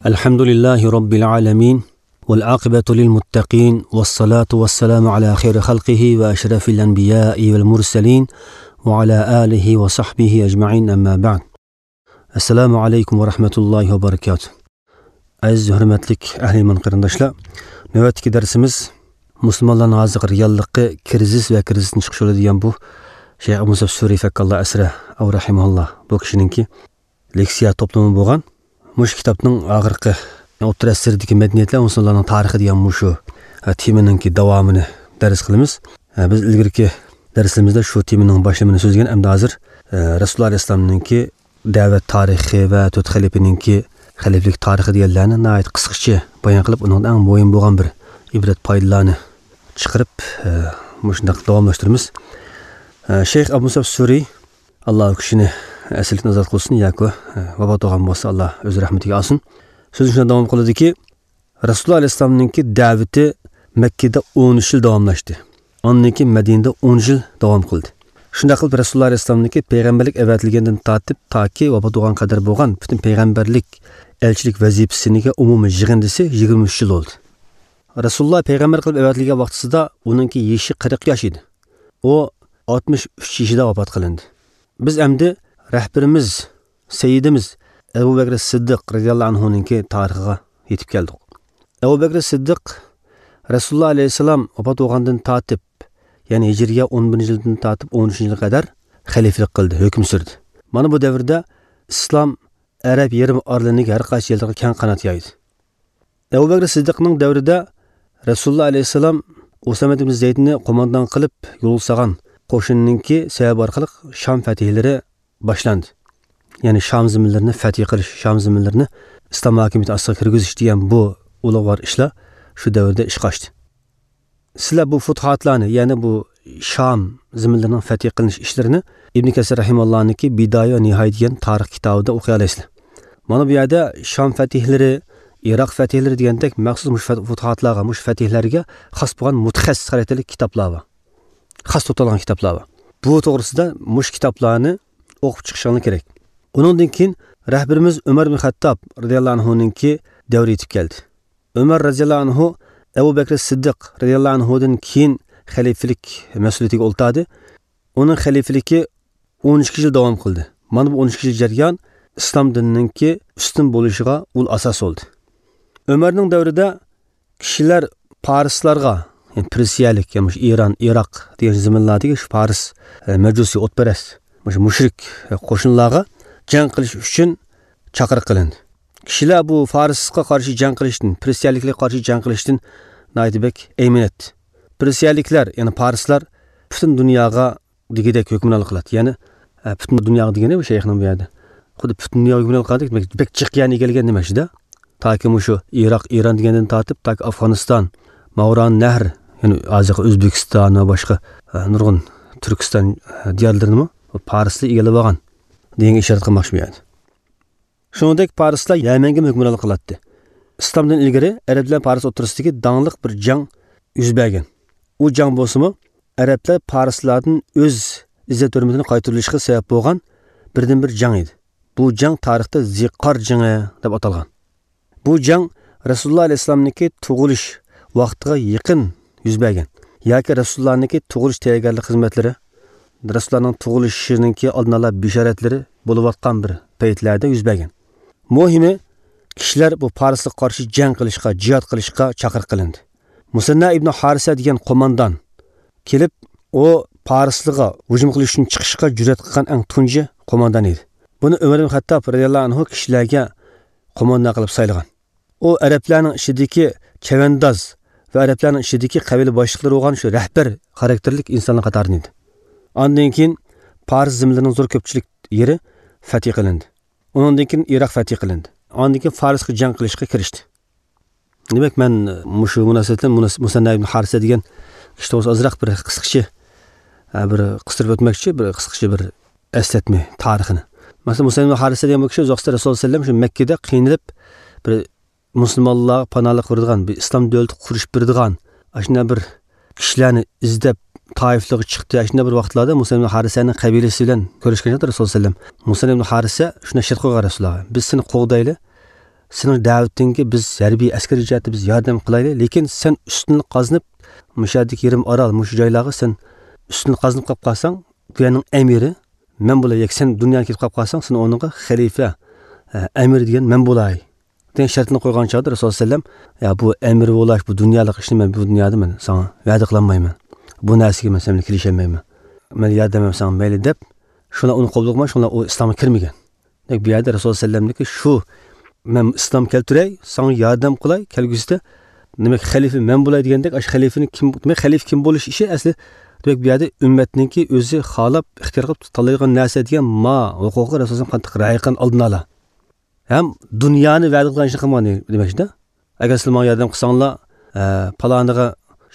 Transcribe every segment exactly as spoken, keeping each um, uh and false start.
الحمد لله رب العالمين، والعاقبة للمتقين، والصلاة والسلام على خير خلقه وأشرف الأنبياء والمرسلين، وعلى آله وصحبه أجمعين، أما بعد. السلام عليكم ورحمة الله وبركاته. ئەزىز ھۆرمەتلىك ئەھلى ئىمان قېرىنداشلار، نۆۋەتتىكى دەرسىمىز مۇسۇلمانلارنىڭ ھازىرقى رېئاللىقى، كىرىزىس ۋە كىرىزىستىن چىقىش يولى دېگەن بۇ شەيخ ئەبۇ مۇسەب سۈرى فەككاللا ئەسرە ئەۋ رەھىمەھۇللا بۇ كىشىنىڭكى لېكسىيە توپلىمى بولغان. مۇشۇ كىتابنىڭ ئاخىرقى ئوتتۇرا ئەسىردىكى مەدەنىيەتلەر مۇسۇلمانلارنىڭ تارىخى دېگەن مۇشۇ، ئە، تېمىنىڭكى داۋامىنى دەرس قىلىمىز. ئە، بىز ئىلگىرىكى دەرسلىرىمىزدە شۇ تېمىنىڭ باشلىمىنى سۆزلىگەن، ئەمدى ھازىر، ئە، رەسۇلۇللا ئەلەيھىسسالامنىڭكى دەۋەت تارىخى ۋە تۆت خەلىپىنىڭكى خەلىپىلىك تارىخى دېگەنلەرنى ناھايىتى قىسقىچە بايان قىلىپ، ئۇنىڭدىن ئەڭ مۇھىم بولغان بىر ئىبرەت پايدىلارنى چىقىرىپ، ئە، مۇشۇنداق داۋاملاشتۇرىمىز. ئە، شەيخ ئەبۇ مۇسەب سۈرى، ئاللا ئۇ كىشىنى ئەسىرلىكتىن ئازاد قىلسۇن ياكى، ئە، ۋاپات بولغان بولسا، ئاللا ئۆز رەھمىتىگە ئالسۇن. سۆزىنى شۇنداق داۋام قىلدىكى، رەسۇلۇللا ئەلەيھىسسالامنىڭكى دەۋىتى مەككىدە ئون ئۈچ يىل داۋاملاشتى. ئاندىن كېيىن مەدىنىدە ئون يىل داۋام قىلدى. شۇنداق قىلىپ، رەسۇلۇللا ئەلەيھىسسالامنىڭكى پەيغەمبەرلىك ئەۋەتىلگەندىن تارتىپ تاكى ۋاپات بولغان قەدەر بولغان پۈتۈن پەيغەمبەرلىك، ئەلچىلىك ۋەزىپىسىنىڭكى ئومۇمىي يىغىندىسى يىگىرمە ئۈچ يىل بولدى. رەسۇلۇللا پەيغەمبەر قىلىپ ئەۋەتىلگەن ۋاقتىسىدا ئۇنىڭكى يېشى قىرىق ياش ئىدى. ئۇ ئاتمىش ئۈچ يېشىدا ۋاپات قىلىندى. بىز ئەمدى رەھبىرىمىز، سەييىدىمىز ئەبۇ بەكرى سىددىق رەزىياللاھۇ ئەنھۇنىڭكى تارىخىغا يېتىپ كەلدۇق. ئەبۇ بەكرى سىددىق رەسۇلۇللا ئەلەيھىسسالام ۋاپات بولغاندىن تارتىپ، يەنى ھىجرىيە ئون بىرىنچى يىلدىن تارتىپ ئون ئۈچىنچى يىلغا قەدەر خەلىپىلىك قىلدى، ھۆكۈم سۈردى. مانا بۇ دەۋردە ئىسلام ئەرەب يېرىم ئارىلىنىڭ ھەر قايسى يەرلىرىگە كەڭ قانات يايدى. ئەبۇ بەكرى سىددىقنىڭ دەۋرىدە رەسۇلۇللا ئەلەيھىسسالام ئۇسامە ئىبن زەيدنى قوماندان قىلىپ يولغا سالغان قوشۇننىڭكى سەۋەبى ئارقىلىق شام فەتھلىرى باشلاندى. يەنى شام زېمىنلىرىنى فەتھ قىلىش، شام زېمىنلىرىنى ئىسلام ھاكىمىيىتى ئاستىغا كىرگۈزۈش دېگەن بۇ ئۇلۇغۋار ئىشلار شۇ دەۋردە ئىشقا ئاشتى. سىلەر بۇ فۇتۇھاتلارنى، يەنى بۇ شام زېمىنلىرىنىڭ فەتھ قىلىنىش ئىشلىرىنى ئىبن كەسىر رەھىمەھۇللانىڭكى بىدايە ۋە نىھايە دېگەن تارىخ كىتابىدا ئوقۇيالايسىلەر. مانا بۇ يەردە شام فەتھلىرى، ئىراق فەتھلىرى دېگەندەك مەخسۇس مۇشۇ فەت-، فۇتۇھاتلارغا، مۇشۇ فەتھلەرگە خاس بولغان مۇتەخەسسىس خاراكتېرلىك كىتابلار بار. خاس توختالغان كىتابلار بار. بۇ توغرىسىدا مۇشۇ كىتابلارنى ئوقۇپ چىقىشىڭلار كېرەك. ئۇنىڭدىن كېيىن رەھبىرىمىز ئۆمەر ئىبن خەتتاب رەزىياللاھۇ ئەنھۇنىڭكى دەۋرى يېتىپ كەلدى. ئۆمەر رەزىياللاھۇ ئەنھۇ ئەبۇ بەكرى سىددىق رەزىياللاھۇ ئەنھۇدىن كېيىن خەلىپىلىك مەسئۇلىيىتىگە ئولتۇردى. ئۇنىڭ خەلىپىلىكى ئون ئىككى يىل داۋام قىلدى. مانا بۇ ئون ئىككى يىل جەريان ئىسلام دىنىنىڭكى ئۈستۈن بولۇشىغا ئۇل ئاساس بولدى. ئۆمەرنىڭ دەۋرىدە كىشىلەر پارسلارغا، يەنى پېرسىيەلىك، يەنى مۇشۇ ئىران، ئىراق دېگەن زېمىنلاردىكى شۇ پارس، ئە، مەجۇسىي، ئوتپەرەس، مۇشۇ مۇشرىك، ئە، قوشۇنلارغا جەڭ قىلىش ئۈچۈن چاقىرىق قىلىندى. كىشىلەر بۇ فارسقا قارشى جەڭ قىلىشتىن، پېرسىيەلىكلەرگە قارشى جەڭ قىلىشتىن ناھايىتى بەك ئەيمىنەتتى. پېرسىيەلىكلەر، يەنى پارسلار پۈتۈن دۇنياغا دېگۈدەك ھۆكۈمرانلىق قىلاتتى. يەنى، ئە، پۈتۈن دۇنياغا دېگىنى بۇ شەيخنىڭ بۇ يەردە. خۇددى پۈتۈن دۇنياغا ھۆكۈمرانلىق قىلغاندەك، بەك، بەك جىق يەرنى ئىگىلىگەن دېمەكچىدە. تاكى مۇشۇ ئىراق، ئىران دېگەندىن تارتىپ، تاكى ئافغانىستان، ماۋران نەھر، يەنى ھازىرقى ئۆزبېكىستان ۋە باشقا، ئە، نۇرغۇن تۈركىستان، ئە، دىيارلىرىنىمۇ پارسلار ئىگىلەپ ئالغان دېگەنگە ئىشارەت قىلماقچى بۇ يەردە. شۇنىڭدەك پارسلار يەمەنگىمۇ ھۆكۈمرانلىق قىلاتتى. ئىسلامدىن ئىلگىرى ئەرەب بىلەن پارس ئوتتۇرىسىدىكى داڭلىق بىر جەڭ يۈز بەرگەن. ئۇ جەڭ بولسىمۇ، ئەرەبلەر پارسلاردىن ئۆز ئىززەت-ھۆرمىتىنى قايتۇرۇۋېلىشقا سەۋەب بولغان بىردىنبىر جەڭ ئىدى. بۇ جەڭ تارىختا زىقار جېڭى دەپ ئاتالغان. بۇ جەڭ رەسۇلۇللا ئەلەيھىسسالامنىڭكى تۇغۇلۇش ۋاقتىغا يېقىن يۈز بەرگەن ياكى رەسۇلۇللانىڭكى تۇغۇلۇش تەييارگارلىق خىزمەتلىرى، رەسۇلۇللانىڭ تۇغۇلۇشىنىڭكى ئالدىنئالا بېشارەتلىرى بولۇۋاتقان بىر پەيتلەردە يۈز بەرگەن. مۇھىمى، كىشىلەر بۇ پارسلارغا قارشى جەڭ قىلىشقا، جىھاد قىلىشقا چاقىرىق قىلىندى. مۇسەننا ئىبنى ھارىسە دېگەن قوماندان كېلىپ، ئۇ پارسلارغا ھۇجۇم قىلىش ئۈچۈن چىقىشقا جۈرئەت قىلغان ئەڭ تۇنجى قوماندان ئىدى. بۇنى ئۆمەر ئىبن خەتتاب رەزىياللاھۇ ئەنھۇ كىشىلەرگە قوماندان قىلىپ سايلىغان. ئۇ ئەرەبلەرنىڭ ئىچىدىكى چەۋەنداز ۋە ئەرەبلەرنىڭ ئىچىدىكى قەبىلە باشلىقلىرى بولغان شۇ رەھبەر خاراكتېرلىك ئىنسانلار قاتارىدىن ئىدى. ئاندىن كېيىن پارس زېمىنلىرىنىڭ زور كۆپچىلىك يېرى فەتھى قىلىندى. ئۇنىڭدىن كېيىن ئىراق فەتھى قىلىندى. ئاندىن كېيىن فارسقا جەڭ قىلىشقا كىرىشتى. دېمەك، مەن مۇشۇ مۇناسىۋەت بىلەن مۇناس-، مۇسەننا ئىبن ھارىسە دېگەن كىشى توغرىسىدا ئازراق بىر قىسقىچە، ئە، بىر قىستۇرۇپ ئۆتمەكچى، بىر قىسقىچە بىر ئەسلەتمە تارىخىنى. مەسىلەن، مۇسەننا ئىبن ھارىسە دېگەن بۇ كىشى ئۇزاقسىدا رەسۇلۇللا سەللەم شۇ مەككىدە قىينىلىپ، بىر مۇسۇلمانلارغا پاناھلىق بېرىدىغان، بىر ئىسلام دۆلىتى قۇرۇش بېرىدىغان، ئاشۇنداق بىر كىشىلەرنى ئىزدەپ، تائىفلارغا چىقتى. ئاشۇنداق بىر ۋاقىتلاردا مۇسەننا ئىبن ھارىسەنىڭ قەبىلىسى بىلەن كۆرۈشكەن چاغدا رەسۇلۇللا سەللەم، مۇسەننا ئىبن ھارىسە شۇنداق شەرت قويغان رەسۇلۇللاغا، بىز سېنى قوغدايلى، سېنىڭ دەۋىتىڭگە بىز ھەربىي ئەسكىرىي جەھەتتە بىز ياردەم قىلايلى، لېكىن سەن ئۈستۈنلۈك قازىنىپ، مۇشۇ يەردىكى يېرىم ئارال، مۇشۇ جايلارغا سەن ئۈستۈنلۈك قازىنىپ قېلىپ قالساڭ، بۇ يەرنىڭ ئەمىرى مەن بولاي، ياكى سەن دۇنيادىن كېتىپ قېلىپ قالساڭ، سەن ئورنۇڭغا خەلىپە، ئە، ئەمىر دېگەن مەن بولاي، دېگەن شەرتنى قويغان چاغدا رەسۇلۇللا سەللەم، يا، بۇ ئەمىر بولاش، بۇ دۇنيالىق ئىشنى مەن بۇ دۇنيادا مەن ساڭا ۋەدە قىلالمايمەن. بۇ نەرسىگە مەن سەن بىلەن كېلىشەلمەيمەن. مەن ياردەملەم ساڭا مەيلى دەپ، شۇلار ئۇنى قوبۇل قىلماي، شۇلار ئۇ ئىسلامغا كىرمىگەن. دېمەك، بۇ يەردە رەسۇلۇللا سەللەمنىڭكى شۇ، مەن ئىسلام كەلتۈرەي، ساڭا ياردەم قىلاي، كەلگۈسىدە، دېمەك، خەلىپە مەن بولاي دېگەندەك، ئاشۇ خەلىپىنى كىم، دېمەك، خەلىپە كىم بولۇش ئىشى ئەسلى، دېمەك، بۇ يەردە ئۈممەتنىڭكى ئۆزى خالاپ، ئىختىيار قىلىپ تاللايدىغان نەرسە دېگەن ما ھوقۇقى رەسۇلۇللا قانداق رىئايە قىلغان ئالدىن ئالا. ھەم دۇنيانى ۋەدە قىلغان ئىشنى قىلمىغان دېمەكچىدە. ئەگەر سىلەر ماڭا ياردەم قىلساڭلار، ئە، پالانىغا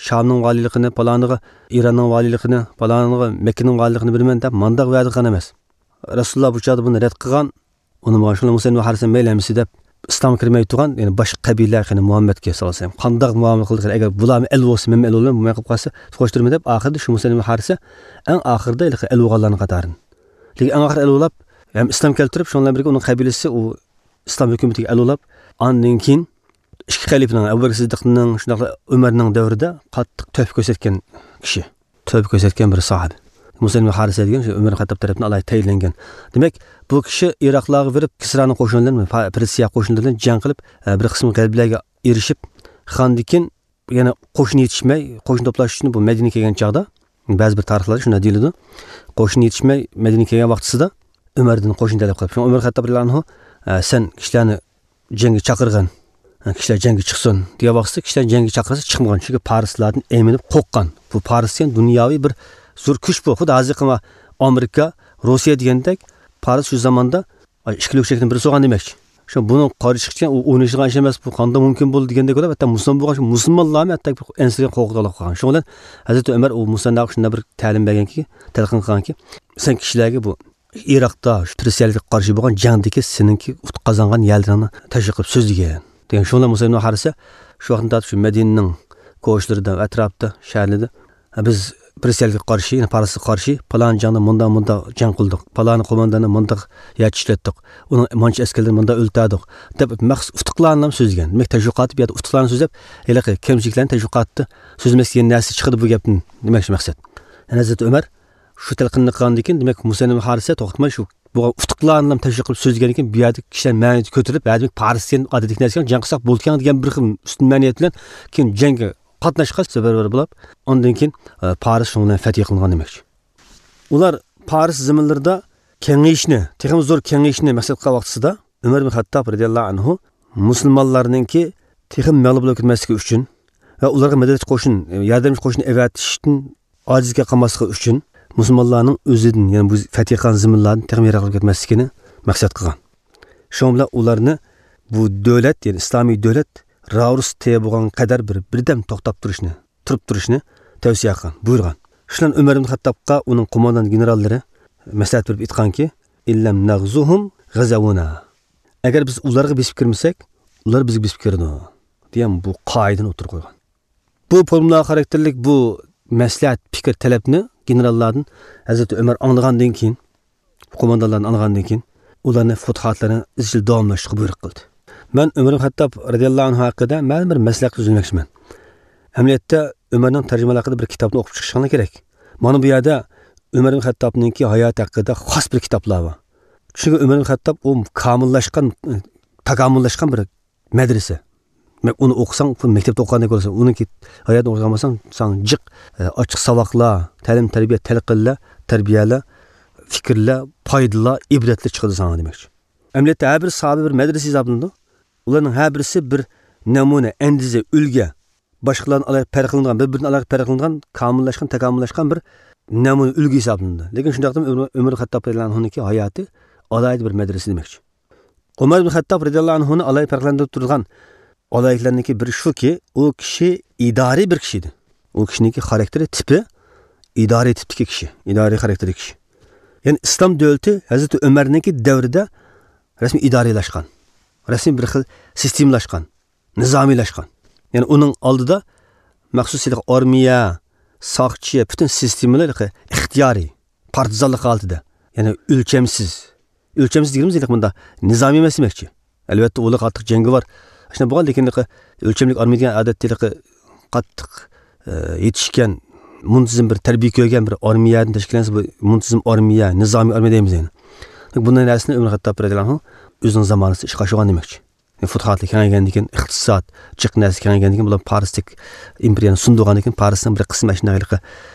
شامنىڭ ۋالىيلىقىنى، پالانىغا ئىراننىڭ ۋالىيلىقىنى، پالانىغا مەككىنىڭ ۋالىيلىقىنى بېرىمەن دەپ مانداق ۋەدە قىلغان ئەمەس. رەسۇلۇللا بۇ چاغدا بۇنى رەت قىلغان. ئۇنى ماڭا شۇنى مۇسەلمە ھارىسە مەيلى ئەمىسى دەپ ئىسلامغا كىرمەي تۇرغان، يەنى باشقا قەبىلە قېنى مۇھەممەدكە سالسام قانداق مۇئامىلە قىلدى قېنى، ئەگەر بۇلارمۇ ئەل بولسا مەنمۇ ئەل بولىمەن، بولماي قېلىپ قالسا توقۇشتۇرىمەن دەپ ئاخىرىدا شۇ مۇسەلمە ھارىسە ئەڭ ئاخىرىدا ھېلىقى ئەل بولغانلارنىڭ قاتارىدىن. لېكىن ئەڭ ئاخىرى ئەل بولاپ، ھەم ئىسلام كەلتۈرۈپ، شۇنىڭ بىلەن بىرگە ئۇنىڭ قەبىلىسى ئۇ ئىسلام ھۆكۈمىتىگە ئەل بولاپ، ئاندىن كېيىن ئىككى خەلىپىنىڭ، ئەبۇ بەكرى سىددىقنىڭ، شۇنداقلا ئۆمەرنىڭ دەۋرىدە قاتتىق تۆھپە كۆرسەتكەن كىشى. تۆھپە كۆرسەتكەن بىر ساھابە. مۇسەلمە ھارىسە دېگەن شۇ ئۆمەر خەتتاب تەرەپىدىن ئالاھىدە تەيىنلەنگەن. دېمەك، بۇ كىشى ئىراقلارغا بېرىپ، كىسرانىڭ قوشۇنى بىلەن، پا-، پېرسىيە قوشۇنلىرى بىلەن جەڭ قىلىپ، ئە، بىر قىسىم غەلىبىلەرگە ئېرىشىپ، خاندىن كېيىن يەنە قوشۇن يېتىشمەي، قوشۇن توپلاش ئۈچۈن بۇ مەدىنىگە كەلگەن چاغدا، بەزى بىر تارىخلاردا شۇنداق دېيىلىدۇ، قوشۇن يېتىشمەي مەدىنىگە كەلگەن ۋاقتىسىدا ئۆمەردىن قوشۇن تەلەپ قىلىپ، شۇڭا ئۆمەر خەتتاب رەزىياللاھۇ ئەنھۇ، ئە، سەن كىشىلەرنى جەڭگە چاقىرغىن، ئە، كىشىلەر جەڭگە چىقسۇن دېگەن ۋاقتىسىدا، كىشىلەر جەڭگە چاقىرسا چىقمىغان، چۈنكى پارسلاردىن ئەيمىنىپ قورققان. بۇ پارس دېگەن دۇنياۋى بىر زور كۈچ بۇ. خۇددى ھازىرقى ئامېرىكا، روسىيە دېگەندەك پارس شۇ زاماندا ئىككى لۆكچەكنىڭ بىرسى بولغان دېمەكچى. شۇ بۇنىڭ قارشى چىقىشى ئۇ ئوينىشىدىغان ئىش ئەمەس، بۇ قانداق مۇمكىن بولدى دېگەندەك بولۇپ، ھەتتا مۇسۇلمان بولغان شۇ مۇسۇلمانلارمۇ ھەتتا ئەنسىرىگەن، قورقۇپ قالغان. شۇنىڭ بىلەن ھەزرىتى ئۆمەر ئۇ مۇسەنناغا شۇنداق بىر تەلىم بەرگەنكى، تەلقىن قىلغانكى، سەن كىشىلەرگە بۇ ئىراقتا شۇ پىرسىيەلەرگە قارشى بولغان جەڭدىكى سېنىڭكى ئۇتۇق قازانغان يەرلىرىڭنى تەشۋىق قىلىپ سۆزلىگىن دېگەن. شۇنىڭ بىلەن مۇسەلمە ھارىسە شۇ ۋاقىتتىن تارتىپ شۇ مەدىنىنىڭ كوچىلىرىدا، ئەتراپتا، شەھەرلىرىدە بىز پىرسىيەلەرگە قارشى، يەنى پارسقا قارشى پالان جەڭدە مۇنداق، مۇنداق جەڭ قىلدۇق، پالان قومانداننى مۇنداق يەر چىشلەتتۇق، ئۇنىڭ مانچە ئەسكەرلىرىنى مۇنداق ئۆلتۈردۇق دەپ مەخسۇس ئۇتۇقلارنى سۆزلىگەن. دېمەك، تەشۋىقاتى بۇ يەردە ئۇتۇقلارنى سۆزلەپ، ھېلىقى كەمچىلىكلەرنى تەشۋىقاتتا سۆزلىمەسلىك دېگەن نەرسە چىقىدۇ بۇ گەپتىن دېمەكچى مەقسەت. يەنى ھەزرىتى ئۆمەر شۇ تەلقىننى قىلغاندىن كېيىن، دېمەك، مۇسەلمە ھارىسە توختىماي شۇ بولغان ئۇتۇقلارنى تەشۋىق قىلىپ سۆزلىگەندىن كېيىن، بۇ يەردىكى كىشىلەر مەنىۋىيىتى كۆتۈرۈلۈپ، ھە، دېمەك، پارس دېگەن ئادەتتىكى نەرسە جەڭ قىلساق بولىدىكەن دېگەن بىر خىل ئۈستۈن مەنىۋىيەت بىلەن كېيىن جەڭگە قاتناشقا سەۋەبلەر بولۇپ، ئاندىن كېيىن، ئە، پارس شۇنىڭ بىلەن فەتھى قىلىنغان دېمەكچى. ئۇلار پارس زېمىنلىرىدا كېڭىيىشنى، تېخىمۇ زور كېڭىيىشنى مەقسەت قىلغان ۋاقتىسىدا، ئۆمەر ئىبن خەتتاب رەزىياللاھۇ ئەنھۇ مۇسۇلمانلارنىڭكى تېخىمۇ مەغلۇپ بولۇپ كەتمەسلىكى ئۈچۈن ۋە ئۇلارغا مەدەتچى قوشۇن، ياردەمچى قوشۇن ئەۋەتىشتىن ئاجىز قالماسلىقى ئۈچۈن، مۇسۇلمانلارنىڭ ئۆزىدىن، يەنى بۇ فەتھى قىلغان زېمىنلاردىن تېخىمۇ يىراقلاپ كەتمەسلىكىنى مەقسەت قىلغان. شۇنىڭ بىلەن ئۇلارنى بۇ دۆلەت، يەنى ئىسلامىي دۆلەت راۋۇرۇس تېيە بولغان قەدەر بىر، بىردەم توختاپ تۇرۇشنى، تۇرۇپ تۇرۇشنى تەۋسىيە قىلغان، بۇيرۇغان. شۇنىڭ ئۆمەر ئىبن خەتتابقا ئۇنىڭ قوماندان گېنېراللىرى مەسلىھەت بېرىپ ئېيتقانكى، «ئىن لەم نەغزۇھۇم غەزەۋۇنا.» ئەگەر بىز ئۇلارغا بېسىپ كىرمىسەك، ئۇلار بىزگە بېسىپ كىرىدۇ، دېگەن بۇ قائىدىنى ئوتتۇرىغا قويغان. بۇ فورمۇلا خاراكتېرلىك بۇ مەسلىھەت، پىكىر، تەلەپنى گېنېراللاردىن ھەزرىتى ئۆمەر ئاڭلىغاندىن كېيىن، قوماندانلاردىن ئاڭلىغاندىن كېيىن، ئۇلارنى فۇتۇھاتلىرىنى ئىزچىل داۋاملاشتۇرۇشقا بۇيرۇق قىلدى. مەن ئۆمەر ئىبن خەتتاب رەزىياللاھۇ ئەنھۇ ھەققىدە مەلۇم بىر مەسلىھەت سۆزلىمەكچىمەن. ئەمەلىيەتتە، ئۆمەرنىڭ تەرجىمىھالى ھەققىدە بىر كىتابنى ئوقۇپ چىقىشىڭلار كېرەك. مانا بۇ يەردە ئۆمەر ئىبن خەتتابنىڭكى ھاياتى ھەققىدە خاس بىر كىتابلار بار. چۈنكى ئۆمەر ئىبن خەتتاب ئۇ كامىللاشقان، تاكامۇللاشقان بىر مەدرىسە. دېمەك، ئۇنى ئوقۇساڭ، خۇددى مەكتەپتە ئوقۇغاندەك بولىسەن. ئۇنىڭكى ھاياتىنى ئوقۇغان بولساڭ، ساڭا جىق، ئە، ئاچچىق ساۋاقلار، تەلىم-تەربىيە، تەلقىنلەر، تەربىيەلەر، پىكىرلەر، پايدىلار، ئىبرەتلەر چىقىدۇ ساڭا دېمەكچى. ئەمەلىيەتتە ھەر بىر ساھابە بىر مەدرىسە ھېسابلىنىدۇ. ئۇلارنىڭ ھەر بىرسى بىر نەمۇنە، ئەندىزە، ئۈلگە، باشقىلاردىن ئالاھىدە پەرقلىنىدىغان، بىر-بىرىدىن ئالاھىدە پەرقلىنىدىغان، كامىللاشقان، تاكامۇللاشقان بىر نەمۇنە، ئۈلگە ھېسابلىنىدۇ. لېكىن شۇنداقتىمۇ ئۆمەر، ئۆمەر خەتتاب رەزىياللاھۇ ئەنھۇنىڭكى ھاياتى ئالاھىدە بىر مەدرىسە دېمەكچى. ئۆمەر ئىبن خەتتاب رەزىياللاھۇ ئەنھۇنى ئالاھىدە پەرقلەندۈرۈپ تۇرىدىغان ئالاھىدىلىرىنىڭكى بىرى شۇكى، ئۇ كىشى ئىدارىي بىر كىشى ئىدى. ئۇ كىشىنىڭكى خاراكتېرى، تىپى ئىدارىي تىپتىكى كىشى، ئىدارىي خاراكتېردىكى كىشى. يەنى ئىسلام دۆلىتى ھەزرىتى ئۆمەرنىڭكى دەۋرىدە رەسمىي ئىدارىيلاشقان، رەسمىي بىر خىل سىستېمىلاشقان، نىزامىيلاشقان. يەنى ئۇنىڭ ئالدىدا مەخسۇس ئارمىيە، ساقچى، پۈتۈن سىستېمىلار ئىختىيارىي، پارتىزانلىق ھالىتىدە. يەنى ئۆلچەمسىز. ئۆلچەمسىز دېگىنىمىز ھېلىقى مۇنداق نىزامىي ئەمەس دېمەكچى. ئەلۋەتتە، ئۇلار قاتتىق جەڭگىۋار. شۇنداق بولغان، لېكىن ھېلىقى ئۆلچەملىك ئارمىيە دېگەن ئادەتتە ھېلىقى قاتتىق، ئە، يېتىشكەن، مۇنتىزىم بىر تەربىيە كۆرگەن بىر ئارمىيەدىن تەشكىللەنسە، بۇ مۇنتىزىم ئارمىيە، نىزامىي ئارمىيە دەيمىز يەنە. بۇنداق نەرسىنى ئۆمەر خەتتاب رەزىياللاھۇ ئەنھۇ ئۆزىنىڭ زامانىسىدا ئىشقا ئاشۇرغان دېمەكچى. يەنى، پۇتۇھاتلار كېڭەيگەندىن كېيىن، ئىقتىساد، جىق نەرسە كېڭەيگەندىن كېيىن، بۇلار پارستەك ئىمپېرىيەنى سۇندۇرغاندىن كېيىن، پارسنىڭ بىر قىسمى ئاشۇنداق ھېلىقى،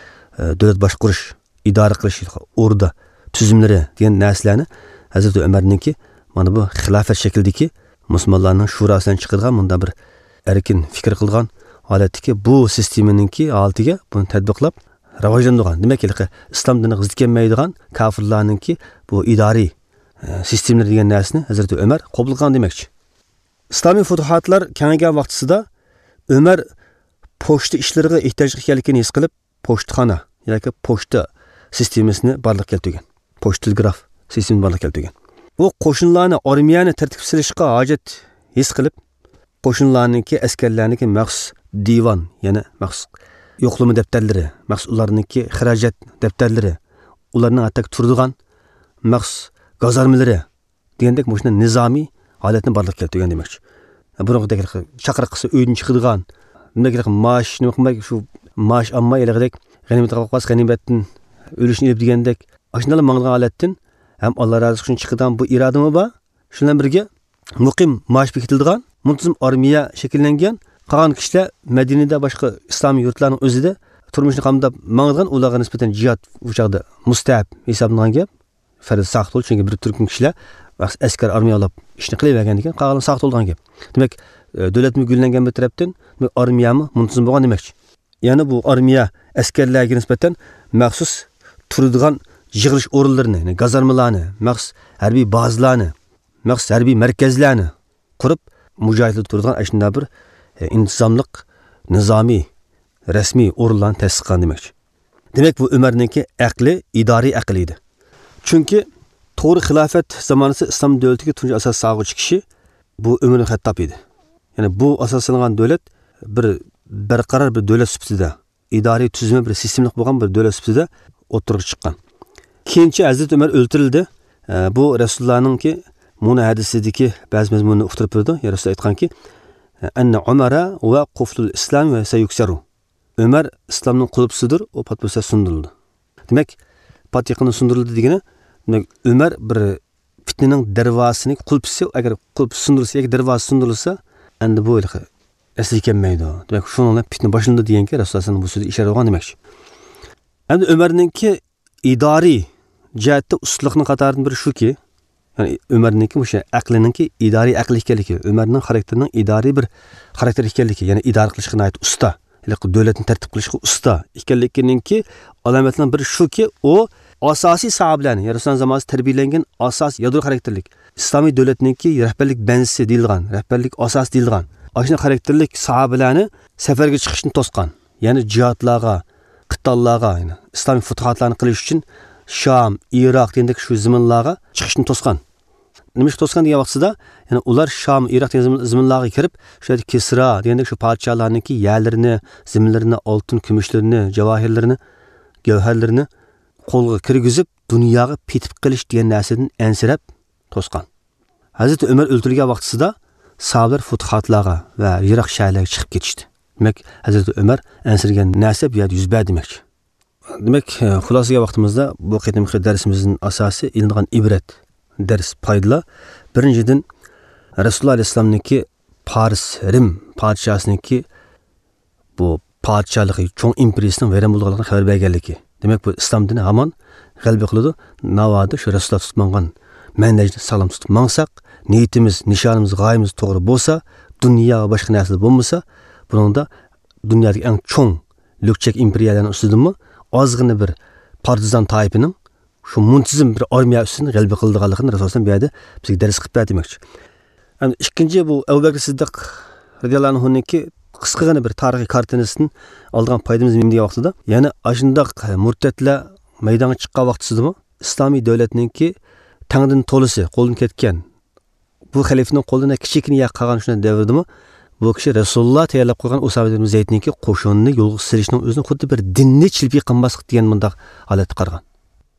ئە، دۆلەت باشقۇرۇش، ئىدارە قىلىش، ئوردا تۈزۈملىرى دېگەن نەرسىلەرنى ھەزرىتى ئۆمەرنىڭكى مانا بۇ خىلاپەت شەكلىدىكى مۇسۇلمانلارنىڭ شۇراسىدىن چىقىدىغان مۇنداق بىر ئەركىن پىكىر قىلغان ھالەتتىكى بۇ سىستېمىنىڭكى ھالىتىگە بۇنى تەتبىقلاپ راۋاجلاندۇرغان. دېمەك، ھېلىقى ئىسلام دىنىغا زىت كەلمەيدىغان كاپىرلارنىڭكى بۇ ئىدارىي، ئە، سىستېمىلىرى دېگەن نەرسىنى ھەزرىتى ئۆمەر قوبۇل قىلغان دېمەكچى. ئىسلامىي پۇتۇھاتلار كېڭەيگەن ۋاقتىسىدا ئۆمەر پوچتا ئىشلىرىغا ئېھتىياج ئىكەنلىكىنى ھېس قىلىپ، پوچتىخانا ياكى پوچتا سىستېمىسىنى بارلىققا كەلتۈرگەن. پوچتا تېلېگراف سىستېمىسىنى بارلىققا كەلتۈرگەن. ئۇ قوشۇنلارنى، ئارمىيەنى تەرتىپكە سېلىشقا ھاجەت ھېس قىلىپ، قوشۇنلارنىڭكى، ئەسكەرلەرنىڭكى مەخسۇس دىۋان، يەنى مەخسۇس يوقلىما دەپتەرلىرى، مەخسۇس ئۇلارنىڭكى خىراجەت دەپتەرلىرى، ئۇلارنىڭ ئاتاك تۇرىدىغان مەخسۇس گازارمىلىرى، دېگەندەك مۇشۇنداق نىزامىي ھالەتنى بارلىققا كەلتۈرگەن دېمەكچى. بۇرۇنقىدەك چاقىرىق قىلسا ئۆيدىن چىقىدىغان، بۇنداق مائاش نېمە قىلماي، شۇ مائاش ئالماي، ھېلىقىدەك غەنىيمەت قاپقاس، غەنىيمەتتىن ئۆلۈشنى ئېلىپ دېگەندەك، ئاشۇنداقلا ماڭىدىغان ھالەتتىن ھەم ئاللا رازى بولسۇن ئۈچۈن چىقىدىغان بۇ ئىرادىمۇ بار. شۇ بىلەن بىرگە مۇقىم مائاش بېكىتىلىدىغان مۇنتىزىم ئارمىيە شەكىللەنگەن. قالغان كىشىلەر مەدىنىدە، باشقا ئىسلامىي يۇرتلارنىڭ ئۆزىدە تۇرمۇشىنى قامداپ ماڭىدىغان، ئۇلارغا نىسبەتەن جىھاد ئۇ چاغدا مۇستەھەب ھېسابلانغان گەپ. پەرز ساقىت بولدى، چۈنكى بىر تۈركۈم كىشىلەر ئەسكەر ئارمىيە ئالاپ ئىشنى قىلىۋەرگەندىن كېيىن قالغانلار ساقىت بولىدىغان گەپ. دېمەك، ئە، دۆلەتمۇ گۈللەنگەن بىر تەرەپتىن، دېمەك، ئارمىيەمۇ مۇنتىزىم بولغان دېمەكچى. يەنى بۇ ئارمىيە ئەسكەرلەرگە نىسبەتەن مەخسۇس تۇرىدىغان يىغىلىش ئورۇنلىرىنى، يەنى گازارمىلارنى، مەخسۇس ھەربىي بازىلارنى، مەخسۇس ھەربىي مەركەزلەرنى قۇرۇپ، مۇجاھىدلار تۇرىدىغان ئاشۇنداق بىر، ئە، ئىنتىزاملىق، نىزامىي، رەسمىي ئورۇنلارنى تەسىس قىلغان دېمەكچى. دېمەك، بۇ ئۆمەرنىڭكى ئەقلى ئىدارىي ئەقىل ئىدى. چۈنكى توغرا خىلاپەت زامانىسى ئىسلام دۆلىتىگە تۇنجى ئاساس سالغۇچى كىشى بۇ ئۆمەر ئىبن خەتتاب ئىدى. يەنى بۇ ئاساسلانغان دۆلەت بىر بەرقارار بىر دۆلەت سۈپىتىدە، ئىدارىي تۈزۈمى بىر سىستېمىلىق بولغان بىر دۆلەت سۈپىتىدە ئوتتۇرىغا چىققان. كېيىنچە ھەزرىتى ئۆمەر ئۆلتۈرۈلدى. ئە، بۇ رەسۇلۇللانىڭكى مۇنۇ ھەدىسىدىكى بەزى مەزمۇننى ئۇقتۇرۇپ بېرىدۇ. يا رەسۇلۇللا ئېيتقانكى، «ئەننە ئۇمەرە ۋە قۇفلۇل ئىسلام ۋە سەيۇكسەرۇ.» ئۆمەر ئىسلامنىڭ قۇلۇپسىدۇر، ئۇ پات-پۇرسەت سۇندۇرۇلىدۇ. دېمەك، پات يېقىندا سۇندۇرۇلدى دېگىنى، دېمەك، ئۆمەر بىر پىتنىنىڭ دەرۋازىسىنى، قۇلپىسى، ئەگەر قۇلپ سۇندۇرۇلسا ياكى دەرۋازا سۇندۇرۇلسا، ئەمدى بۇ ھېلىقى ئەسلىگە كەلمەيدۇ. دېمەك، شۇنىڭ بىلەن پىتنە باشلىنىدۇ دېگەنگە رەسۇلۇللا ئەلەيھىسسالام بۇ سۆزدە ئىشارە قىلغان دېمەكچى. ئەمدى ئۆمەرنىڭكى ئىدارىي جەھەتتە ئۇستىلىقنىڭ قاتارىدىن بىرى شۇكى، يەنى ئۆمەرنىڭكى مۇشۇ ئەقلىنىڭكى، ئىدارىي ئەقىل ئىكەنلىكى، ئۆمەرنىڭ خاراكتېرىنىڭ ئىدارىي بىر خاراكتېر ئىكەنلىكى، يەنى ئىدارە قىلىشقا ناھايىتى ئۇستا، ھېلىقى دۆلەتنى تەرتىپ قىلىشقا ئۇستا ئىكەنلىكىنىڭكى ئالامەتلىرىنىڭ بىرى شۇكى، ئۇ ئاساسىي ساھابىلەرنى، يەنى رەسۇلۇللا زامانىسىدا تەربىيەلەنگەن ئاساسىي يادرو خاراكتېرلىك ئىسلامىي دۆلەتنىڭكى رەھبەرلىك بەنزىسى دېيىلغان، رەھبەرلىك ئاساسى دېيىلغان ئاشۇنداق خاراكتېرلىك ساھابىلەرنى سەپەرگە چىقىشتىن توسقان. يەنى جىھادلارغا، قىتاللارغا، يەنى ئىسلامىي پۇتۇھاتلارنى قىلىش ئۈچۈن شام، ئىراق دېگەندەك شۇ زېمىنلارغا چىقىشتىن توسقان. نېمىشقا توسقان دېگەن ۋاقتىدا، يەنى ئۇلار شام، ئىراق دېگەن زېمىن-، زېمىنلارغا كىرىپ، شۇ يەردە كىسرا دېگەندەك شۇ پادىشاھلارنىڭكى يەرلىرىنى، زېمىنلىرىنى، ئالتۇن، كۈمۈشلىرىنى، جاۋاھىرلىرىنى، گەۋھەرلىرىنى قولغا كىرگۈزۈپ، دۇنياغا پېتىپ قېلىش دېگەن نەرسىدىن ئەنسىرەپ توسقان. ھەزرىتى ئۆمەر ئۆلتۈرۈلگەن ۋاقتىسىدا ساھابىلەر فۇتۇھاتلارغا ۋە يىراق شەھەرلەرگە چىقىپ كېتىشتى. دېمەك، ھەزرىتى ئۆمەر ئەنسىرىگەن نەرسە بۇ يەردە يۈز بەردى دېمەكچى. دېمەك، خۇلاسىگە ۋاقتىمىزدا بۇ قېتىمقى دەرسىمىزدىن ئاساسىي ئېلىنغان ئىبرەت، دەرس، پايدىلار. بىرىنچىدىن، رەسۇلۇللا ئەلەيھىسسالامنىڭكى پارس، رىم پادىشاھسىنىڭكى بۇ پادىشاھلىقى، چوڭ ئىمپېرىيىسىنىڭ ۋەيران بولىدىغانلىقىنى خەۋەر بەرگەنلىكى. دېمەك، بۇ ئىسلام دىنى ھامان غەلىبە قىلىدۇ. ناۋادا شۇ رەسۇلۇللا تۇتۇپ ماڭغان مەنھەجنى ساغلام تۇتۇپ ماڭساق، نىيىتىمىز، نىشانىمىز، غايىمىز توغرا بولسا، دۇنيا ۋە باشقا نەرسىلەر بولمىسا، بۇنىڭدا دۇنيادىكى ئەڭ چوڭ لۈكچەك ئىمپېرىيەلەرنىڭ ئۈستىدىنمۇ ئازغىنە بىر پارتىزان تائىپىنىڭ شۇ مۇنتىزىم بىر ئارمىيە ئۈستىدىن غەلىبە قىلىدىغانلىقىنى رەسۇلۇللا بۇ يەردە بىزگە دەرس قىلىپ بەردى دېمەكچى. ئەمدى ئىككىنچى، بۇ ئەبۇ بەكرى سىددىق رەزىياللاھۇ ئەنھۇنىڭكى قىسقىغىنە بىر تارىخىي كارتىنىسىدىن ئالىدىغان پايدىمىز نېمە دېگەن ۋاقتىدا، يەنى ئاشۇنداق مۇرتەتلەر مەيدانغا چىققان ۋاقتىسىدىمۇ ئىسلامىي دۆلەتنىڭكى تەڭدىن تولىسى قولدىن كەتكەن، بۇ خەلىپىنىڭ قولىدا كىچىككىنە يەر قالغان شۇنداق دەۋردىمۇ، بۇ كىشى رەسۇلۇللا تەييارلاپ قويغان ئۇسامە ئىبن زەيدنىڭكى قوشۇنىنى يولغا سېلىشنىڭ ئۆزىنى خۇددى بىر دىننى چىلپى قىلماسلىق دېگەن مۇنداق ھالەتتە قارىغان.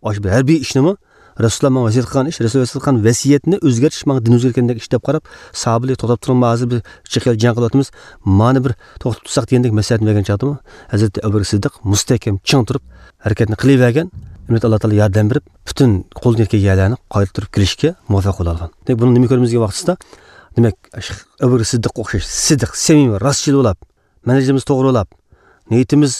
ئاشۇ بىر ھەربىي ئىشنىمۇ رەسۇلۇللا ماڭا ۋەسىيەت قىلغان ئىش، رەسۇلۇللا ۋەسىيەت قىلغان ۋەسىيەتنى ئۆزگەرتىش ماڭا دىن ئۆزگەرتكەندەك ئىش دەپ قاراپ، ساھابىلەر توختاپ تۇرۇڭ، ھازىر بىز چېقىل جەڭ قىلىۋاتىمىز، مانا بىر توختىتىپ تۇرساق دېگەندەك مەسلىھەتنى بەرگەن چاغدىمۇ، ھەزرىتى ئەبۇ بەكرى سىددىق مۇستەھكەم چىڭ تۇرۇپ ھەرىكەتنى قىلىۋەرگەن. ئەمدى ئاللا تائالا ياردەم بېرىپ، پۈتۈن قولدىن كەلگەن يەرلەرنى قايتا تۇرۇپ كېلىشكە مۇۋەپپەق بولالىغان. دېمەك، بۇنىڭ نېمە كۆرىمىز دېگەن ۋاقتىدا، دېمەك، ئەبۇ بەكرى سىددىققا ئوخشاش سىدىق، سەمىمىي، راستچىل بولاپ، مەنھەجىمىز توغرا بولاپ، نىيىتىمىز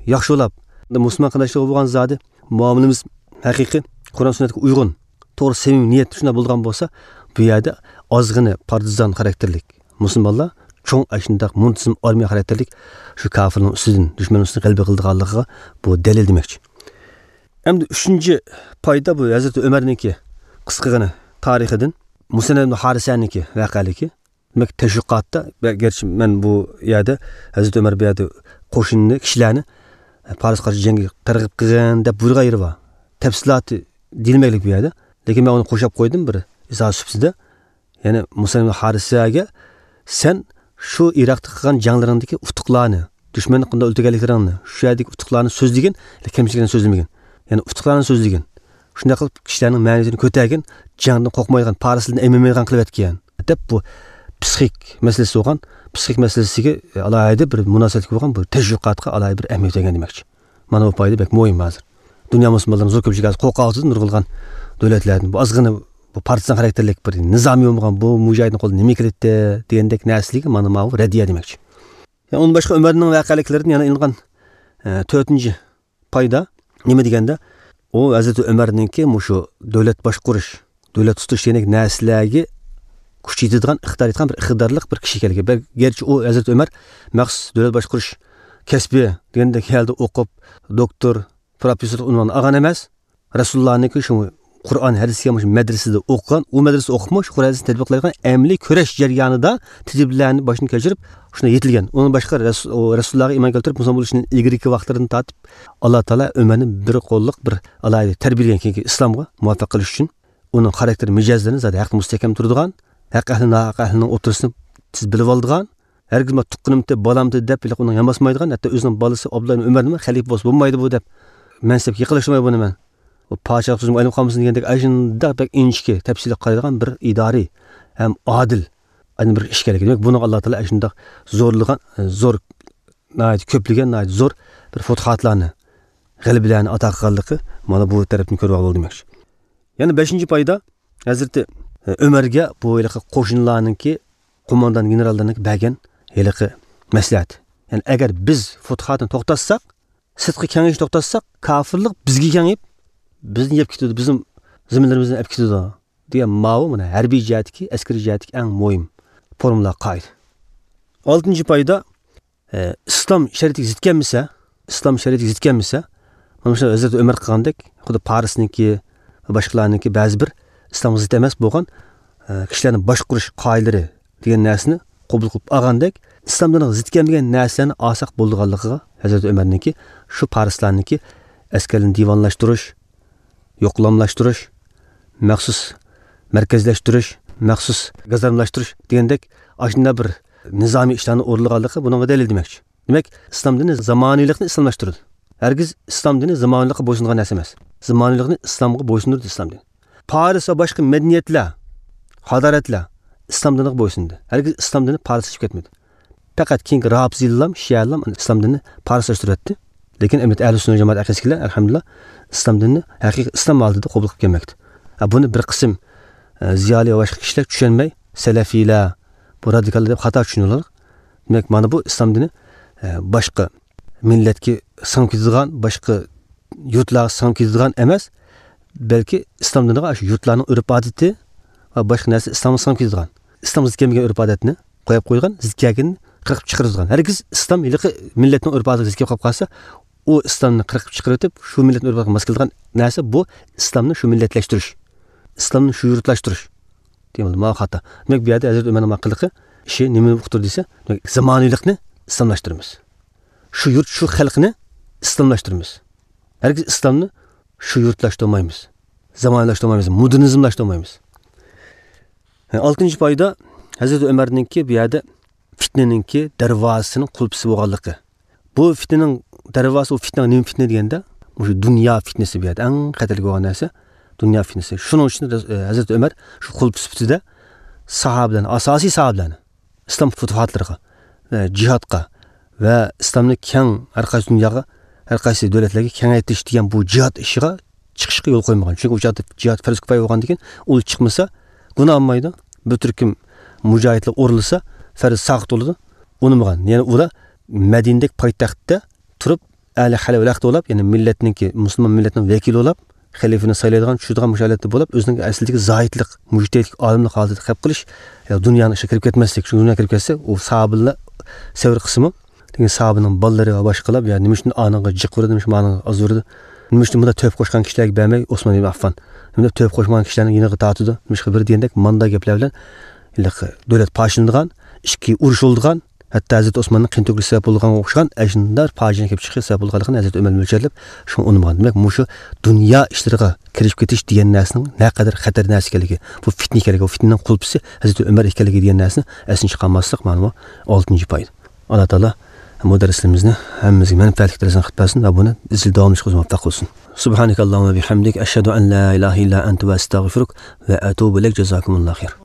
ياخشى بولاپ، مۇسۇلمان قېرىنداشلىرىغا بولغان زادى مۇئامىلىمىز ھەقىقىي قۇرئان سۈننەتكە ئۇيغۇن، توغرا سەمىمىي نىيەت شۇنداق بولىدىغان بولسا، بۇ يەردە ئازغىنە پارتىزان خاراكتېرلىك مۇسۇلمانلار چوڭ ئاشۇنداق مۇنتىزىم ئارمىيە خاراكتېرلىك شۇ كاپىرنىڭ ئۈستىدىن، دۈشمەننىڭ ئۈستىدىن غەلىبە قىلىدىغانلىقىغا بۇ دەلىل دېمەكچى. ئەمدى ئۈچىنچى پايدا بۇ ھەزرىتى ئۆمەرنىڭكى قىسقىغىنە تارىخىدىن مۇسەننەد ئىبن ھارىسەنىڭكى ۋەقەلىكى. دېمەك، تەشۋىقاتتا، گەرچە مەن بۇ يەردە ھەزرىتى ئۆمەر بۇ يەردە قوشۇننى، كىشىلەرنى پارسقا قارشى جەڭگە تەرغىب قىلغىن دەپ بۇيرۇغان يېرى بار. تەپسىلاتى دېيىلمەيلىك بۇ يەردە. لېكىن مەن ئۇنى قوشاپ قويدۇم بىر ئىزاھ سۈپىتىدە. يەنى مۇسەننەد ھارىسەگە سەن شۇ ئىراقتا قىلغان جەڭلىرىڭدىكى ئۇتۇقلارنى، دۈشمەننى قانداق ئۆلتۈرگەنلىكلىرىڭنى، شۇ يەردىكى ئۇتۇقلارنى سۆزلىگىن، كەمچىلىكلەرنى سۆزلىمىگىن. يەنى ئۇتۇقلارنى سۆزلىگىن. شۇنداق قىلىپ كىشىلەرنىڭ مەنىۋىيىتىنى كۆتەرگىن، جەڭدىن قورقمايدىغان، پارسلىرىدىن ئەيمەنمەيدىغان قىلىۋەتكەن. دەپ بۇ پسىخىك مەسىلىسى بولغان، پسىخىك مەسىلىسىگە ئالاھىدە بىر مۇناسىۋەتلىك بولغان بۇ تەشۋىقاتقا ئالاھىدە بىر ئەھمىيەت بەرگەن دېمەكچى. مانا بۇ پايدا بەك مۇھىم ھازىر. دۇنيا مۇسۇلمانلىرىنىڭ زور كۆپچىلىكى ھازىر قورقۇۋاتىدۇ، نۇرغۇنلىغان دۆلەتلەردىن بۇ ئازغىنە بۇ پارتىزان خاراكتېرلىك بىر نىزامى بولمىغان بۇ مۇجاھىدنىڭ قولىدىن نېمە كېلەتتى دېگەندەك نەرسىلىككە مانا ماۋۇ رەددىيە دېمەكچى. يەنى ئۇندىن باشقا ئۆمەرنىڭ ۋەقەلىكلىرىدىن يەنە ئېلىنغان، ئە، تۆتىنچى پايدا نېمە دېگەندە، ئۇ ھەزرىتى ئۆمەرنىڭكى مۇشۇ دۆلەت باشقۇرۇش، دۆلەت تۇتۇش دېگەندەك نەرسىلەرگە كۈچ يېتىدىغان، ئىقتىدار يېتىدىغان بىر ئىقتىدارلىق بىر كىشى ئىكەنلىكى. بەل-، گەرچە ئۇ ھەزرىتى ئۆمەر مەخسۇس دۆلەت باشقۇرۇش كەسپى دېگەندەك ھالدا ئوقۇپ، دوكتور، پروفېسسورلۇق ئۇنۋانىنى ئالغان ئەمەس، رەسۇلۇللانىڭكى شۇ قۇرئان، ھەدىسكە مۇشۇ مەدرىسىدە ئوقۇغان، ئۇ مەدرىسىدە ئوقۇپمۇ، شۇ قۇرئان، ھەدىسنى تەتبىقلايدىغان ئەمەلىي كۈرەش جەريانىدا تېجرىبىلەرنى باشتىن كەچۈرۈپ، شۇنداق يېتىلگەن. ئۇنىڭ باشقا رەس-، ئۇ رەسۇلۇللاغا ئىمان كەلتۈرۈپ مۇسۇلمان بولۇشتىن ئىلگىرىكى ۋاقىتلىرىدىن تارتىپ، ئاللا تائالا ئۆمەرنى بىر قوللۇق، بىر ئالاھىدە تەربىيەلىگەن، كېيىنكى ئىسلامغا مۇۋەپپەق قىلىش ئۈچۈن. ئۇنىڭ خاراكتېر مىجەزلىرىنى زادى ھەقتە مۇستەھكەم تۇرىدىغان، ھەق ئەھلى، ناھەق ئەھلىنىڭ ئوتتۇرىسىنى تېز بىلىۋالىدىغان، ھەرگىزمۇ تۇغقىنىمتى، بالامتى دەپ ھېلىقى ئۇنىڭ يانباسمايدىغان، ھەتتا ئۆزىنىڭ بالىسى ئابدۇللا ئىبن ئۆمەرنىمۇ خەلىپە بولسا بولمايدۇ بۇ دەپ، مەنسەپكە يېقىنلاشتۇرماي بۇنى مەن. ئۇ پادىشاھلىق سۆزۈمگە ئايلىنىپ قالمىسۇن دېگەندەك ئاشۇنداق بەك ئىنچىكە، تەپسىلىي قارايدىغان بىر ئىدارىي ھەم ئادىل، ئەنە بىر ئىش ئىكەنلىكى. دېمەك، بۇنىڭغا ئاللا تائالا ئاشۇنداق زورلىغان، زور، ناھايىتى كۆپلىگەن، ناھايىتى زور بىر پۇتۇھاتلارنى، غەلىبىلەرنى ئاتا قىلغانلىقى مانا بۇ تەرەپتىن كۆرۈۋالغىلى دېمەكچى. يەنە بەشىنچى پايدا، ھەزرىتى، ئە، ئۆمەرگە بۇ ھېلىقى قوشۇنلارنىڭكى قوماندان گېنېراللىرىنىڭكى بەرگەن ھېلىقى مەسلىھەت. يەنى ئەگەر بىز فۇتۇھاتنى توختاتساق، سىرتقا كېڭىيىشنى توختاتساق، كاپىرلىق بىزگە كېڭىيىپ، بىزنى يەپ كېتىدۇ، بىزنىڭ زېمىنلىرىمىزنى ئەپ كېتىدۇ، دېگەن ماۋۇ مانا ھەربىي جەھەتتىكى، ئەسكىرىي جەھەتتىكى ئەڭ مۇھىم فورمۇلا، قائىدە. ئالتىنچى پايدا، ئە، ئىسلام شەرىئىتىگە زىت كەلمىسە، ئىسلام شەرىئىتىگە زىت كەلمىسە، مانا شۇ ھەزرىتى ئۆمەر قىلغاندەك، خۇددى پارسنىڭكى، باشقىلارنىڭكى بەزى بىر ئىسلامغا زىت ئەمەس بولغان، ئە، كىشىلەرنى باشقۇرۇش قائىدىلىرى دېگەن نەرسىنى قوبۇل قىلىپ ئالغاندەك، ئىسلام دىنىغا زىت كەلمىگەن نەرسىلەرنى ئالساق بولىدىغانلىقىغا ھەزرىتى ئۆمەرنىڭكى شۇ پارسلارنىڭكى ئەسكەرلىرىنى دىۋانلاشتۇرۇش، يوقلاملاشتۇرۇش، مەخسۇس مەركەزلەشتۈرۈش، مەخسۇس گازارمىلاشتۇرۇش دېگەندەك ئاشۇنداق بىر نىزامىي ئىشلارنى ئورۇنلىغانلىقى بۇنىڭغا دەلىل دېمەكچى. دېمەك، ئىسلام دىنى زامانىۋىلىقنى ئىسلاملاشتۇرىدۇ. ھەرگىز ئىسلام دىنى زامانىۋىلىققا بويسۇنىدىغان نەرسە ئەمەس. زامانىۋىلىقنى ئىسلامغا بويسۇندۇرىدۇ ئىسلام دىنى. پارس ۋە باشقا مەدەنىيەتلەر، ھادارەتلەر ئىسلام دىنىغا بويسۇندى. ھەرگىز ئىسلام دىنى پارسلىشىپ كەتمىدى. پەقەت كېيىنكى رافىزىيلام، شىئەلام ئىسلام دىنىنى پارسلاشتۇرۇۋەتتى. لېكىن ئەمەلىيەتتە ئەھلى سۈننە جامائەت ئەقىدىسىدىكىلەر، ئەلھەمدۇلىللا، ئىسلام دىنىنى ھەقىقىي ئىسلام ھالىتىدە قوبۇل قىلىپ كەلمەكتە. ھە، بۇنى بىر قىسىم، ئە، زىيالىي ۋە باشقا كىشىلەر چۈشەنمەي، سەلەفىيلەر، بۇ رادىكاللار دەپ خاتا چۈشىنىۋالىدۇ. دېمەك، مانا بۇ ئىسلام دىنى، ئە، باشقا مىللەتكە سىڭىپ كېتىدىغان، باشقا يۇرتلارغا سىڭىپ كېتىدىغان ئەمەس، بەلكى ئىسلام دىنىغا شۇ يۇرتلارنىڭ ئۆرپ-ئادىتى ۋە باشقا نەرسە ئىسلامغا سىڭىپ كېتىدىغان، ئىسلامغا زىت كەلمىگەن ئۆرپ-ئادەتنى قويۇپ قويغان، زىت كەلگىنىنى قىرقىپ چىقىرىدىغان. ھەرگىز ئىسلام ھېلىقى مىللەتنىڭ ئۆرپ-ئادىتىگە زىت كېلىپ قالىپ قالسا، ئۇ ئىسلامنى قىرقىپ چىقىرىۋېتىپ، شۇ مىللەتنىڭ ئۆرپ-ئادىتىگە ماس كېلىدىغان نەرسە، بۇ ئىسلامنى شۇ مىللەتلەشتۈرۈش، ئىسلامنى شۇ يۇرتلاشتۇرۇش. دېمەكلىك، ماۋۇ خاتا. دېمەك، بۇ يەردە ھەزرىتى ئۆمەرنىڭ قىلىقى، ئىشى نېمىنى ئۇقتۇردى دېسە، دېمەك، زامانىۋىلىقنى ئىسلاملاشتۇرىمىز. شۇ يۇرت، شۇ خەلقنى ئىسلاملاشتۇرىمىز. ھەرگىز ئىسلامنى شۇ يۇرتلاشتۇرمايمىز. زامانىۋىلاشتۇرمايمىز. مودېرنىزملاشتۇرمايمىز. ئالتىنچى پايدا، ھەزرىتى ئۆمەرنىڭكى بۇ يەردە پىتنىنىڭكى دەرۋازىسىنىڭ قۇلپىسى بولغانلىقى. بۇ پىتنىنىڭ دەرۋازىسى، ئۇ پىتنە نېمە پىتنە دېگەندە، مۇشۇ دۇنيا پىتنىسى بۇ يەردە ئەڭ خەتەرلىك بولغان نەرسە. دۇنيا پىتنىسى. شۇنىڭ ئۈچۈن رەز-، ئە، ھەزرىتى ئۆمەر شۇ قۇلۇپ سۈپىتىدە ساھابىلەرنى، ئاساسىي ساھابىلەرنى ئىسلام پۇتۇھاتلىرىغا ۋە جىھادقا ۋە ئىسلامنى كەڭ ھەر قايسى دۇنياغا، ھەر قايسى دۆلەتلەرگە كېڭەيتىش دېگەن بۇ جىھاد ئىشىغا چىقىشقا يول قويمىغان. چۈنكى ئۇ چاغدا جىھاد پەرز كۇپايە بولغاندىكىن، ئۇ چىقمىسا گۇناھ بولمايدۇ. بىر تۈركۈم مۇجاھىدلار ئۇرۇلسا پەرز ساقىت بولىدۇ. ئۇنىمىغان. يەنى ئۇلار مەدىنىدەكى پايتەختتە تۇرۇپ، ئەلى خەلۋەختە بولاپ، يەنى مىللەتنىڭكى، مۇسۇلمان مىللەتنىڭ ۋەكىلى بولاپ، خەلىپىنى سايلايدىغان، چۈشىدىغان مۇشۇ ھالەتتە بولۇپ، ئۆزىنىڭ ئەسلىدىكى زاھىدلىق، مۇجتەھىدلىك، ئالىملىق ھالىتىدە قېلىپ قېلىش، يا دۇنيانىڭ ئىشىغا كىرىپ كەتمەسلىك. چۈنكى دۇنياغا كىرىپ كەتسە، ئۇ ساھابىلەر سەۋر قىلسىمۇ، لېكىن ساھابىنىڭ بالىلىرى ۋە باشقىلار، يا نېمە ئۈچۈن ئانىڭغا جىق ئۇرىدۇ، نېمە ئۈچۈن مانىڭغا ئاز ئۇرىدۇ، نېمە ئۈچۈن بۇنداق تۆھپە قوشقان كىشىلەرگە بەرمەي، ئوسمان ئىبن ئەففان، نېمە تۆھپە قوشمىغان كىشىلەرنىڭ يېنىغا تارتىدۇ، نېمە بىر دېگەندەك ماندا گەپلەر بىلەن ھېلىقى دۆلەت پارچىلىنىدىغان، ئىككى ئۇرۇشۇلىدىغان، ھەتتا ھەزرىتى ئوسماننىڭ قىيىن تۆكۈلۈشى سەۋەب بولغانغا ئوخشىغان ئەشۇنداق پاجىئە كېلىپ چىقىشى سەۋەب بولغانلىقىنى ھەزرىتى ئۆمەر مۆلچەرلەپ، شۇڭا ئۇنىمىغان. دېمەك، مۇشۇ دۇنيا ئىشلىرىغا كىرىشىپ كېتىش دېگەن نەرسىنىڭ نەقەدەر خەتەر نەرسە ئىكەنلىكى، بۇ پىتنە ئىكەنلىكى، بۇ پىتنىنىڭ قۇلپىسى ھەزرىتى ئۆمەر ئىكەنلىكى دېگەن نەرسىنى ئەستىن چىقارماسلىق، مانا بۇ ئالتىنچى پايدا. ئاللا تائالا بۇ دەرسلىرىمىزنى ھەممىمىزگە مەنپەئەتلىك دەرسلەرنى قىلىپ بەرسۇن ۋە بۇنى ئىزچىل داۋاملىشىشقا ئۆزى مۇۋەپپەق قىلسۇن. سبحانك اللهم وبحمدك، أشهد أن لا إله إلا أنت، أستغفرك وأتوب إليك. جزاكم الله خير.